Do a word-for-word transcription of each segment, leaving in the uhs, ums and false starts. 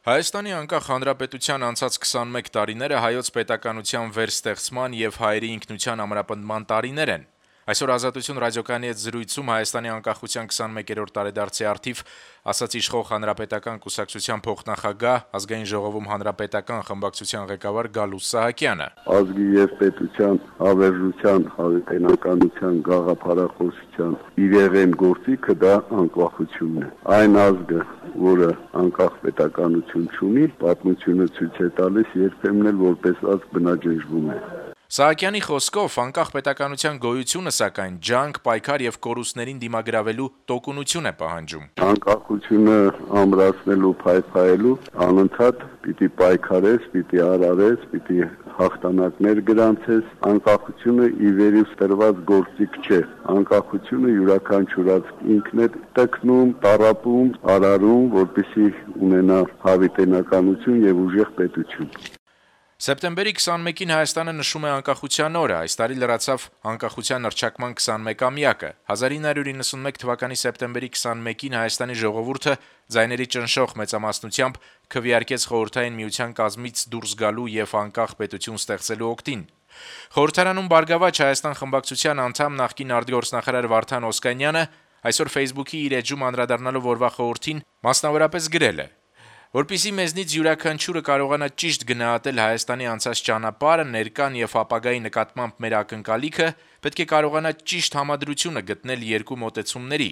Հայաստանի անկախ հանրապետության անցած քսանմեկ տարիները հայոց պետականության վերստեղծման եւ հայերի ինքնության ամրապնդման տարիներ են։ Այսօր Ազատություն ռադիոկայանի հետ զրույցում Հայաստանի անկախության քսանմեկերորդ տարեդարձի առթիվ ասաց իշխող հանրապետական կուսակցության փոխնախագահ, ազգային ժողովում հանրապետական խմբակցության ղեկավար Գալուստ Սահակյանը։ Ազգի եւ պետության հավերժության, հավիտենականության, գաղափարախոսության իրեղեն գործիքը դա անկախությունն է։ Այն ազգը, որը անկախ պետականություն չունի, պատմությունը ցույց է տալիս երբեմն էլ որպես ազգ բնաջնջվում է։ Սահակյանի խոսքով անկախ պետականության գոյությունը սակայն ջանք, պայքար եւ կորուստներին դիմագրավելու տոկունություն է պահանջում։ Անկախությունը ամրացնելու, փայփայելու անընդհատ պիտի պայքարես, պիտի արարես, պիտի հաղթանակներ գրանցես։ Անկախությունը ի վերուս տրված գործիք չէ։ Անկախությունը յուրաքանչյուրած ինքն է տկնում, տառապում, արարում, որպեսզի ունենա հավիտենականություն եւ ուժեղ պետություն։ Սեպտեմբերի քսանմեկին Հայաստանը նշում է անկախության օրը, այս տարի լրացավ անկախության հռչակման քսանմեկամյակը։ հազար ինը հարյուր իննսունմեկ թվականի սեպտեմբերի քսանմեկին Հայաստանի ժողովուրդը ձայների ճնշող մեծամասնությամբ քվեարկեց խորհրդային միության կազմից դուրս գալու եւ անկախ պետություն ստեղծելու օգտին։ Խորհրդարանում «Բարգավաճ Հայաստան» խմբակցության անդամ նախկին արտգործնախարար Վարդան Օսկանյանը այսօր Facebook-ի իր էջում անդրադառնալով օրվա խորհրդին մասնավորապես գրել է. Որպեսզի մեզնից յուրաքանչյուրը կարողանա ճիշտ գնահատել Հայաստանի անցած ճանապարհը, ներկան եւ ապագայի նկատմամբ մեր ակնկալիքը, պետք է կարողանա ճիշտ համադրությունը գտնել երկու մոտեցումների։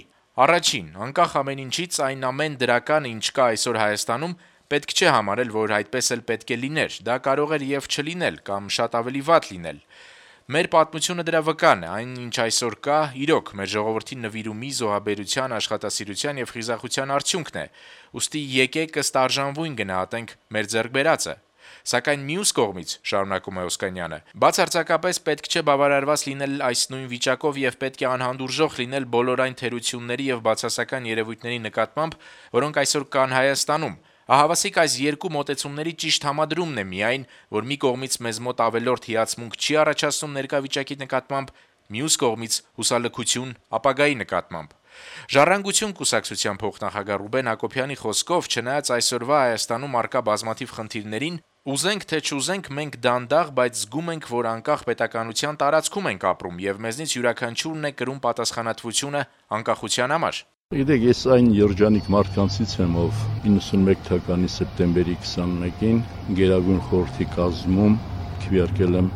Առաջին, անկախ ամեն ինչից այն ամեն դրական, ինչ կա այսօր Հայաստանում, պետք չէ համարել, որ այդպես էլ պետք է լիներ։ Դա կարող էր եւ չլինել կամ շատ ավելի վատ լինել։ Մեր պատմությունը դրա վկան է, այն ինչ այսօր կա, իրոք մեր ժողովրդի նվիրումի, զոհաբերության, աշխատասիրության եւ խիզախության արդյունքն է։ Ուստի եկեք ըստ արժանվույն գնահատենք մեր ձեռք բերածը։ Սակայն մյուս կողմից, շարունակում է Օսկանյանը, բացարձակապես պետք չէ բավարարված լինել այս նույն վիճակով եւ պետք է անհանդուրժող լինել բոլոր այն թերությունների եւ բացասական երևույթների նկատմամբ, որոնք այսօր կան Հայաստանում։ Ահավասիկ այս երկու մոտեցումների ճիշտ համադրումն է միայն, որ մի կողմից մեզ մոտ ավելորդ հիացմունք չի առաջացնում ներկա վիճակի նկատմամբ, մյուս կողմից հուսալքություն ապագայի նկատմամբ։ Ժառանգություն կուսակցության փոխնախագահ Ռուբեն Հակոբյանի խոսքով, չնայած այսօրվա Հայաստանում առկա բազմաթիվ խնդիրներին, ուզենք թե չուզենք մենք դանդաղ, բայց զգում ենք, որ անկախ պետականության տարածքում ենք ապրում եւ մեզնից յուրաքանչյուրն է կրում պատասխանատվությունը անկախության համար։ Գիտեք, ես այն երջանիկ մարդկանցից եմ, ով իննսունմեկ թվականի սեպտեմբերի քսանմեկին Գերագույն խորհրդի կազմում քվեարկել եմ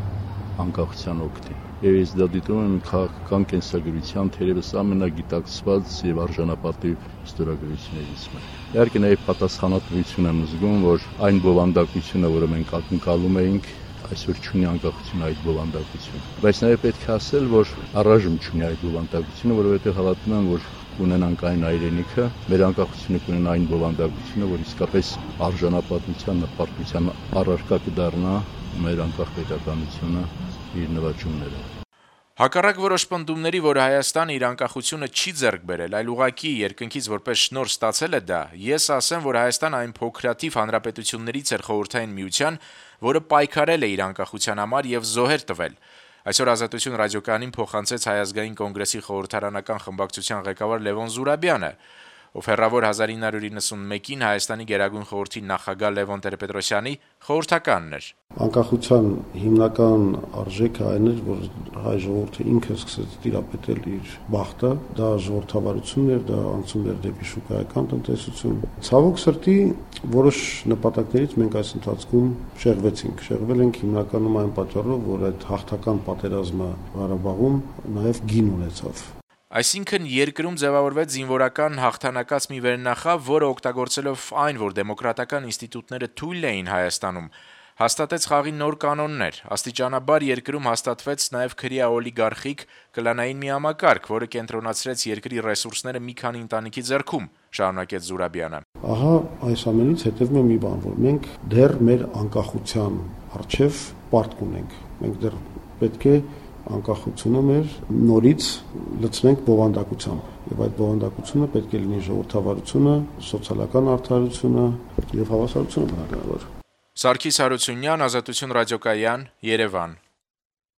անկախության օգտին։ Եվ ես դա դիտում եմ քաղաքական կենսագրության թերևս ամենագիտակցված եւ արժանապատիվ ստորագրություններից մեկը։ Իհարկե նաեւ պատասխանատվություն եմ զգում, որ այն բովանդակությունը, որը մենք ակնկալում էինք, այսօր չունի անկախություն այդ բովանդակությունը։ Բայց նաեւ պետք է ասել, որ առայժմ չունի այդ բովանդակությունը, որովհետեւ հավատում եմ, որ կունենանք այն այրենիքը, մեր անկախությունը կունենա այն բովանդակությունը, որ իսկապես արժանապատվության, նպարտության առարկա կդառնա մեր անկախ պետականությունը իր նվաճումները։ Հակառակ որոշ պնդումների, որ Հայաստանը իր անկախությունը չի ձեռք բերել, այլ ուղղակի երկնքից որպես շնորհ ստացել է դա, ես ասեմ, որ Հայաստանը այն փոքրաթիվ հանրապետություններից էր խորհրդային միության, որը պայքարել է իր անկախության համար եւ զոհեր տվել։ Այսօր Ազատություն ռադիոկայանին փոխանցեց Հայ ազգային կոնգրեսի խորհրդարանական խմբակցության ղեկավար Լևոն Զուրաբյանը, ով հեռավոր հազար ինը հարյուր իննսունմեկին Հայաստանի Գերագույն խորհրդի նախագահ Լևոն Տեր-Պետրոսյանի խորհրդականն էր։ Անկախության հիմնական արժեքը այն էր, որ հայ ժողովուրդը ինքը սկսեց տիրապետել իր բախտը, դա ժողովրդավարությունն էր, դա անցում էր դեպի շուկայական տնտեսություն։ Ցավոք սրտի որոշ նպատակներից մենք այս ընթացքում շեղվեցինք, շեղվել ենք հիմնականում այն պատճառով, որ այդ հաղթական պատերազմը Ղարաբաղում նաև գին ունեցավ։ Այսինքն երկրում ձևավորվեց զինվորական հաղթանակած մի վերնախավ, որը օգտագործելով այն, որ դեմոկրատական ինստիտուտները թույլ էին Հայաստանում, հաստատեց խաղի նոր կանոններ։ Աստիճանաբար երկրում հաստատվեց նաև քրեա օլիգարխիկ կլանային մի համակարգ, որը կենտրոնացրեց երկրի ռեսուրսները մի քանի ընտանիքի ձեռքում, շարունակեց Զուրաբյանը։ Ահա այս ամենից հետևում է մի բան, որ մենք դեռ մեր անկախության առջև պարտք ունենք։ Մենք դեռ պետք է անկախությունը մեր նորից լցնենք բովանդակությամբ եւ այդ բովանդակությունը պետք է լինի ժողովրդավարությունը, սոցիալական արդարությունը եւ հավասարությունը բնականաբար։ Սարգիս Հարությունյան, Ազատություն ռադիոկայան, Երևան։